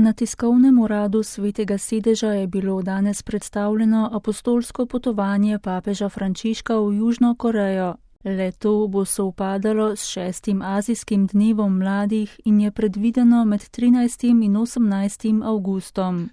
Na tiskovnem uradu Svetega sedeža je bilo danes predstavljeno apostolsko potovanje papeža Frančiška v Južno Korejo. Le-to bo sovpadalo s 6. azijskim dnevom mladih in je predvideno med 13. in 18. avgustom.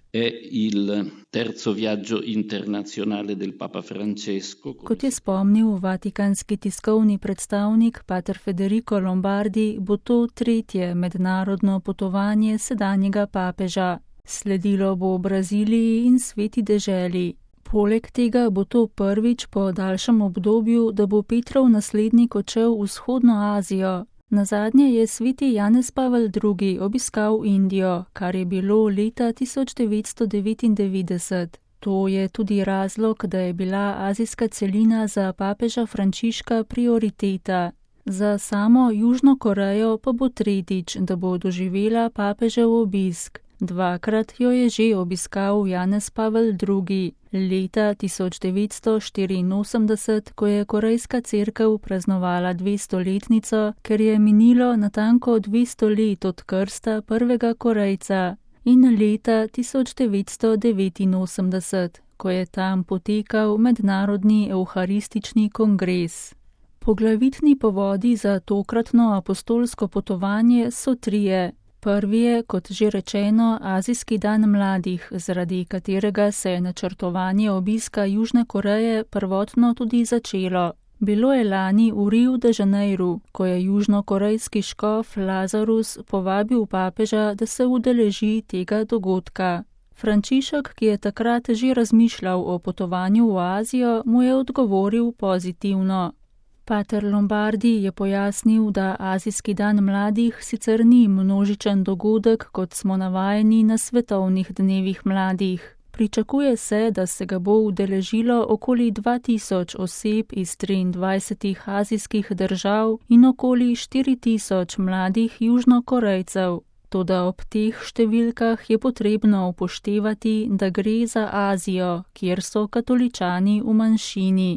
Kot je spomnil vatikanski tiskovni predstavnik pater Federico Lombardi, bo to 3. mednarodno potovanje sedanjega papeža. Sledilo bo v Braziliji in Sveti deželi. Poleg tega bo to prvič po daljšem obdobju, da bo Petrov naslednik odšel v vzhodno Azijo. Nazadnje je sveti Janez Pavel II. Obiskal Indijo, kar je bilo leta 1999. To je tudi razlog, da je bila azijska celina za papeža Frančiška prioriteta. Za samo Južno Korejo pa bo tretjič, da bo doživela papežev obisk. 2-krat jo je že obiskal Janez Pavel II. Leta 1984, ko je korejska cerkev praznovala 200-letnico, ker je minilo natanko 200 let od krsta prvega Korejca, in leta 1989, ko je tam potekal mednarodni evharistični kongres. Poglavitni povodi za tokratno apostolsko potovanje so 3. Prvi je, kot že rečeno, Azijski dan mladih, zaradi katerega se je načrtovanje obiska Južne Koreje prvotno tudi začelo. Bilo je lani v Riu de Janeiru, ko je južnokorejski škof Lazarus povabil papeža, da se udeleži tega dogodka. Frančišek, ki je takrat že razmišljal o potovanju v Azijo, mu je odgovoril pozitivno. Pater Lombardi je pojasnil, da Azijski dan mladih sicer ni množičen dogodek, kot smo navajeni na svetovnih dnevih mladih. Pričakuje se, da se ga bo udeležilo okoli 2000 oseb iz 23 azijskih držav in okoli 4000 mladih Južnokorejcev. Toda ob teh številkah je potrebno upoštevati, da gre za Azijo, kjer so katoličani v manjšini.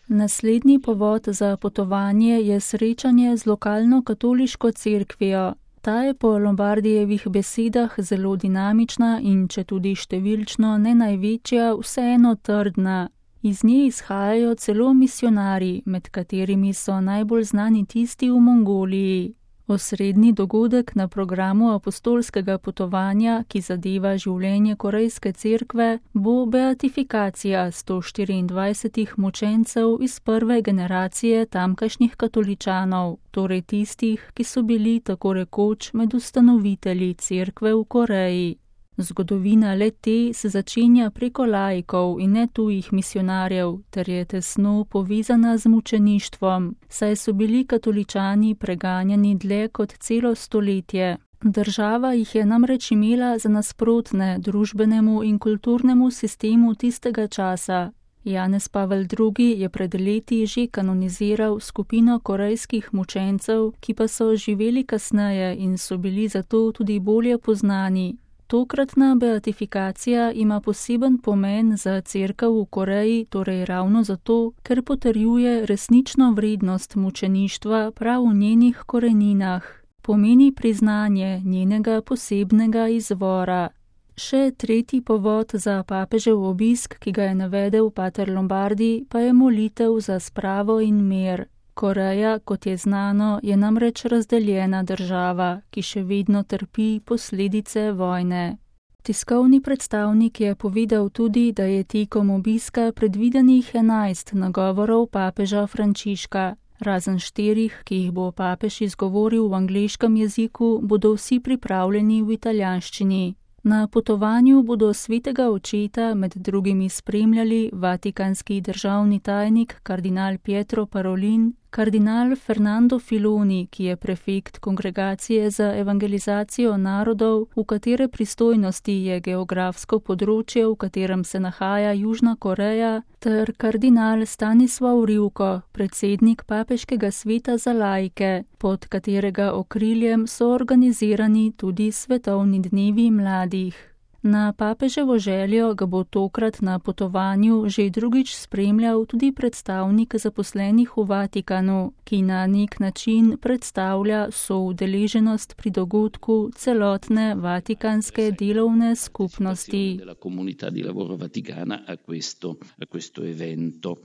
Naslednji povod za potovanje je srečanje z lokalno katoliško cerkvijo. Ta je po Lombardijevih besedah zelo dinamična in četudi številčno ne največja, vseeno trdna. Iz nje izhajajo celo misionarji, med katerimi so najbolj znani tisti v Mongoliji. Osrednji dogodek na programu apostolskega potovanja, ki zadeva življenje korejske cerkve, bo beatifikacija 124 mučencev iz prve generacije tamkajšnjih katoličanov, torej tistih, ki so bili tako rekoč med ustanovitelji cerkve v Koreji. Zgodovina le-te se začenja preko laikov in ne tujih misionarjev, ter je tesno povezana z mučeništvom, saj so bili katoličani preganjani dlje kot celo stoletje. Država jih je namreč imela za nasprotne družbenemu in kulturnemu sistemu tistega časa. Janez Pavel II. Je pred leti že kanoniziral skupino korejskih mučencev, ki pa so živeli kasneje in so bili zato tudi bolje poznani. Tokratna beatifikacija ima poseben pomen za cerkev v Koreji, torej ravno zato, ker potrjuje resnično vrednost mučeništva prav v njenih koreninah. Pomeni priznanje njenega posebnega izvora. Še tretji povod za papežev obisk, ki ga je navedel pater Lombardi, pa je molitev za spravo in mir. Koreja, kot je znano, je namreč razdeljena država, ki še vedno trpi posledice vojne. Tiskovni predstavnik je povedal tudi, da je tekom obiska predvidenih 11 nagovorov papeža Frančiška. Razen 4, ki jih bo papež izgovoril v angleškem jeziku, bodo vsi pripravljeni v italijanščini. Na potovanju bodo svetega očeta med drugimi spremljali vatikanski državni tajnik kardinal Pietro Parolin, kardinal Fernando Filoni, ki je prefekt Kongregacije za evangelizacijo narodov, v katere pristojnosti je geografsko področje, v katerem se nahaja Južna Koreja, ter kardinal Stanislav Rivko, predsednik Papeškega sveta za laike, pod katerega okriljem so organizirani tudi svetovni dnevi mladih. Na papeževo željo ga bo tokrat na potovanju že drugič spremljal tudi predstavnik zaposlenih v Vatikanu, ki na nek način predstavlja soudeleženost pri dogodku celotne vatikanske delovne skupnosti.